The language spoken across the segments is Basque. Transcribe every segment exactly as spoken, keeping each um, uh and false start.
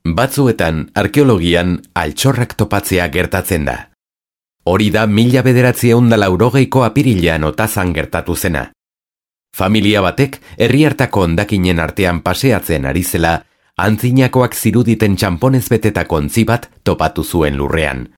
Batzuetan, arkeologian, altxorrak topatzea gertatzen da. Hori da mila bederatziehun eta laurogeiko apirilean Otazan gertatu zena. Familia batek herriartako hondakinen artean paseatzen ari zela, antzinakoak ziruditen txamponez betetako ontzi bat topatu zuen lurrean.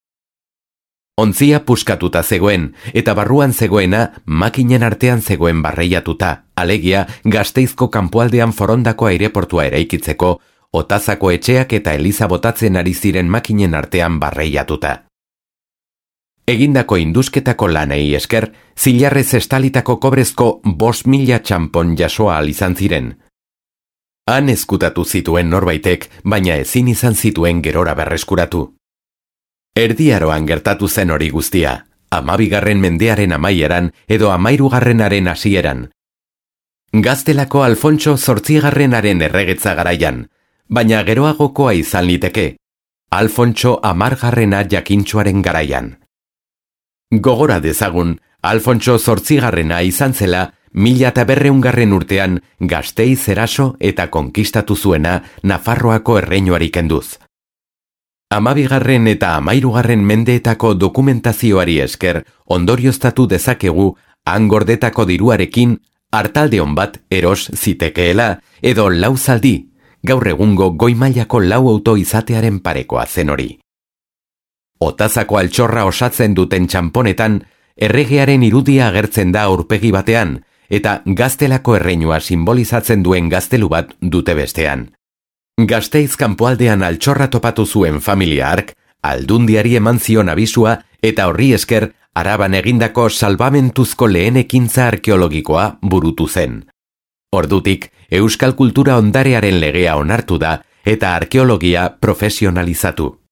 Ontzia puskatuta zegoen, eta barruan zegoena makinen artean zegoen barreiatuta, alegia Gasteizko kanpoaldean Forondako aireportua eraikitzeko, Otazako etxeak eta eliza botatzen ari ziren makinen artean barreiatuta. Egindako indusketako lanei esker, zilarrez estalitako kobrezko bost mila txampon jasoa izan ziren. Han ezkutatu zituen norbaitek, baina ezin izan zituen gerora berreskuratu. Erdiaroan gertatu zen hori guztia, hamabigarren mendearen amaieran edo hamairugarrenaren hasieran. Gaztelako Alfontso zortzigarrenaren erregetza garaian, baina geroagokoa izan liteke, Alfontso hamargarrena jakintsuaren garaian. Gogora dezagun, Alfontso zortzigarrena izan zela, mila eta berreungarren urtean Gasteiz eraso eta konkistatu zuena Nafarroako erreinuari kenduz. Hamabigarren eta hamairugarren mendeetako dokumentazioari esker ondorioztatu dezakegu han gordetako diruarekin artaldeon bat eros zitekeela edo lau zaldi, gaur egungo goi-mailako lau auto izatearen parekoa zen hori. Otazako altxorra osatzen duten txamponetan, erregearen irudia agertzen da aurpegi batean, eta Gaztelako erreinua simbolizatzen duen gaztelu bat dute bestean. Gasteiz kanpoaldean altxorra topatu zuen familia hark, aldundiari eman zion abisua eta horri esker Araban egindako salbamentuzko lehen ekintza arkeologikoa burutu zen. Ordutik, euskal kultura ondarearen legea onartu da eta arkeologia profesionalizatu.